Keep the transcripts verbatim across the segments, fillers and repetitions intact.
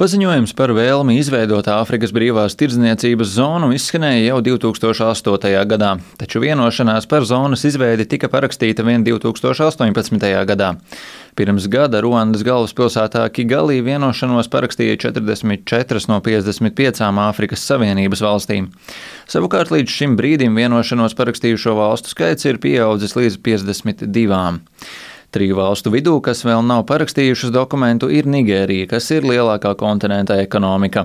Paziņojums par vēlmi izveidot Āfrikas brīvās tirdzniecības zonu izskanēja jau divi tūkstoši astotajā gadā, taču vienošanās par zonas izveidi tika parakstīta vien divi tūkstoši astoņpadsmitajā gadā. Pirms gada Ruandas galvaspilsētā Kigalī vienošanos parakstīja četrdesmit četras no piecdesmit piecām Āfrikas Savienības valstīm. Savukārt līdz šim brīdim vienošanos parakstījušo valstu skaits ir pieaudzis līdz piecdesmit divām. Triju valstu vidū, kas vēl nav parakstījušas dokumentu, ir Nigērija, kas ir lielākā kontinenta ekonomika.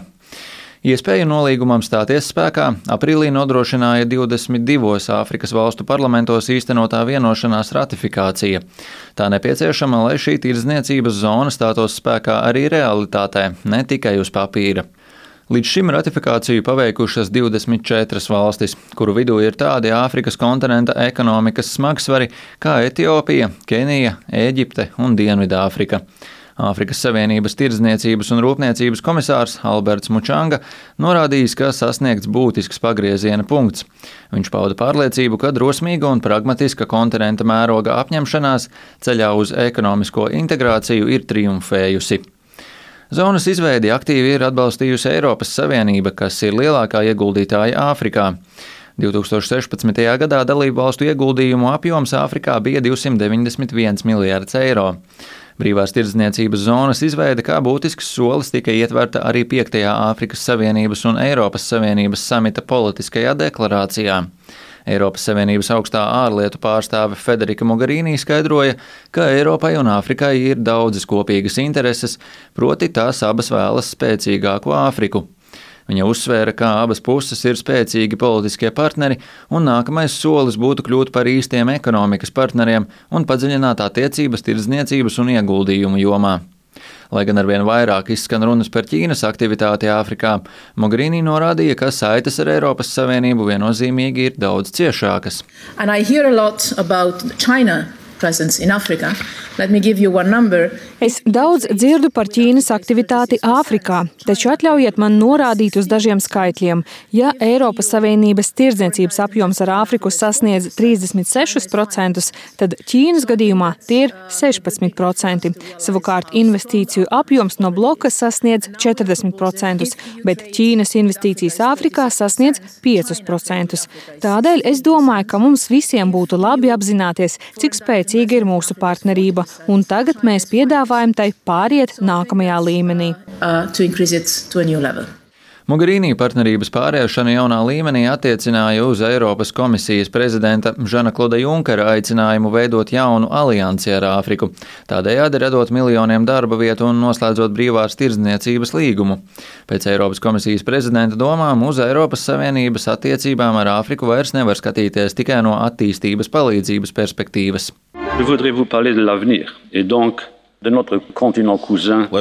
Iespēju nolīgumam stāties spēkā aprīlī nodrošināja divdesmit divos Āfrikas valstu parlamentos īstenotā vienošanās ratifikācija. Tā nepieciešama, lai šī tirdzniecības zona stātos spēkā arī realitātē, ne tikai uz papīra. Līdz šim ratifikāciju paveikušas divdesmit četras valstis, kuru vidū ir tādi Āfrikas kontinenta ekonomikas smagsvari kā Etiopija, Kenija, Ēģipte un Dienvidāfrika. Āfrikas Savienības tirdzniecības un rūpniecības komisārs Alberts Mučanga norādījis, ka sasniegts būtisks pagrieziena punkts. Viņš pauda pārliecību, ka drosmīga un pragmatiska kontinenta mēroga apņemšanās ceļā uz ekonomisko integrāciju ir triumfējusi. Zonas izveidi aktīvi ir atbalstījusi Eiropas Savienība, kas ir lielākā ieguldītāja Āfrikā. divi tūkstoši sešpadsmitajā gadā dalību valstu ieguldījumu apjoms Āfrikā bija divsimt deviņdesmit viens miljards eiro. Brīvās tirdzniecības zonas izveide kā būtisks solis tika ietverta arī piektajā Āfrikas Savienības un Eiropas Savienības samita politiskajā deklarācijā. Eiropas Savienības augstā ārlietu pārstāve Federika Mogherini skaidroja, ka Eiropai un Āfrikai ir daudzas kopīgas intereses, proti tās abas vēlas spēcīgāku Āfriku. Viņa uzsvēra, ka abas puses ir spēcīgi politiskie partneri, un nākamais solis būtu kļūt par īstiem ekonomikas partneriem un padziļināt attiecības tirdzniecības un ieguldījumu jomā. Lai gan arvien vairāk izskan runas par Ķīnas aktivitāti Āfrikā, Mogherini norādīja, ka saites ar Eiropas Savienību viennozīmīgi ir daudz ciešākas. And I hear a lot about China presence in Africa. Let me give you one number. Es daudz dzirdu par Ķīnas aktivitāti Āfrikā, taču atļaujiet man norādīt uz dažiem skaitļiem. Ja Eiropas Savienības tirdzniecības apjoms ar Āfriku sasniedz trīsdesmit sešus procentus, tad Ķīnas gadījumā tie ir sešpadsmit procenti. Savukārt investīciju apjoms no bloka sasniedz četrdesmit procentus, bet Ķīnas investīcijas Āfrikā sasniedz piecus procentus. Tādēļ es domāju, ka mums visiem būtu labi apzināties, cik spēcīga ir mūsu partnerība, un tagad mēs piedāvājam tai pāriet nākamajā līmenī. Uh, Mogherini partnerības pāriešana jaunā līmenī attiecināja uz Eiropas komisijas prezidenta Žana Kloda Junkera aicinājumu veidot jaunu aliansi ar Āfriku, tādējādi radot miljoniem darba vietu un noslēdzot brīvās tirdzniecības līgumu. Pēc Eiropas komisijas prezidenta domām uz Eiropas Savienības attiecībām ar Āfriku vairs nevar skatīties tikai no attīstības palīdzības perspektīvas. Lai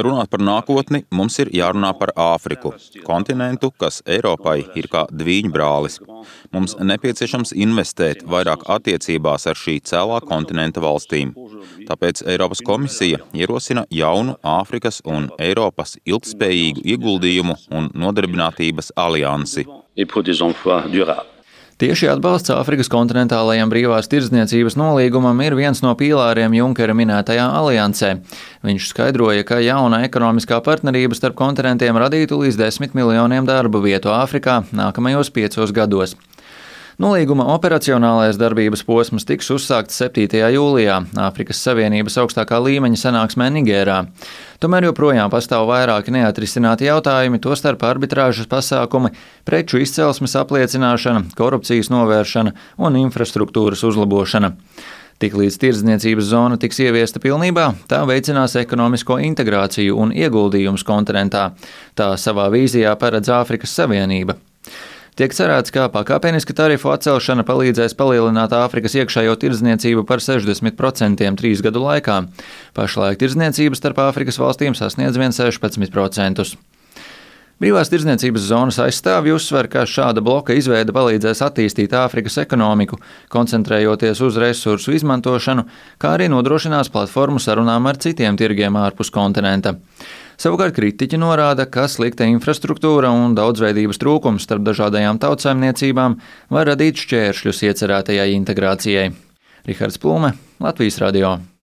runātu par nākotni, mums ir jārunā par Āfriku, kontinentu, kas Eiropai ir kā dvīņbrālis. Mums nepieciešams investēt vairāk attiecībās ar šī cēlā kontinenta valstīm. Tāpēc Eiropas komisija ierosina jaunu Āfrikas un Eiropas ilgtspējīgu ieguldījumu un nodarbinātības aliansi. Tieši atbalsts Āfrikas kontinentālajam brīvās tirdzniecības nolīgumam ir viens no pīlāriem Junkera minētajā aliansē. Viņš skaidroja, ka jauna ekonomiskā partnerība starp kontinentiem radītu līdz desmit miljoniem darba vietu Āfrikā nākamajos piecos gados. Nolīguma operacionālais darbības posms tiks uzsākts septītajā jūlijā Āfrikas Savienības augstākā līmeņa sanāksmē Nigērā. Tomēr joprojām pastāv vairāki neatrisināti jautājumi, tostarp arbitrāžas pasākumi, preču izcelsmes apliecināšana, korupcijas novēršana un infrastruktūras uzlabošana. Tiklīdz tirdzniecības zona tiks ieviesta pilnībā, tā veicinās ekonomisko integrāciju un ieguldījumus kontinentā. Tā savā vīzijā paredz Āfrikas Savienība. Tiek cerēts, ka pakāpeniska tarifu atcelšana palīdzēs palielināt Āfrikas iekšējo tirdzniecību par sešdesmit procentiem trīs gadu laikā. Pašlaik tirdzniecība starp Āfrikas valstīm sasniedz vien sešpadsmit procentus. Brīvās tirdzniecības zonas aizstāvji uzsver, ka šāda bloka izveide palīdzēs attīstīt Āfrikas ekonomiku, koncentrējoties uz resursu izmantošanu, kā arī nodrošinās platformu sarunām ar citiem tirgiem ārpus kontinenta. Savukārt kritiķi norāda, ka slikta infrastruktūra un daudzveidības trūkums starp dažādajām tautsaimniecībām var radīt šķēršļus iecerētajai integrācijai. Rihards Plūme, Latvijas radio.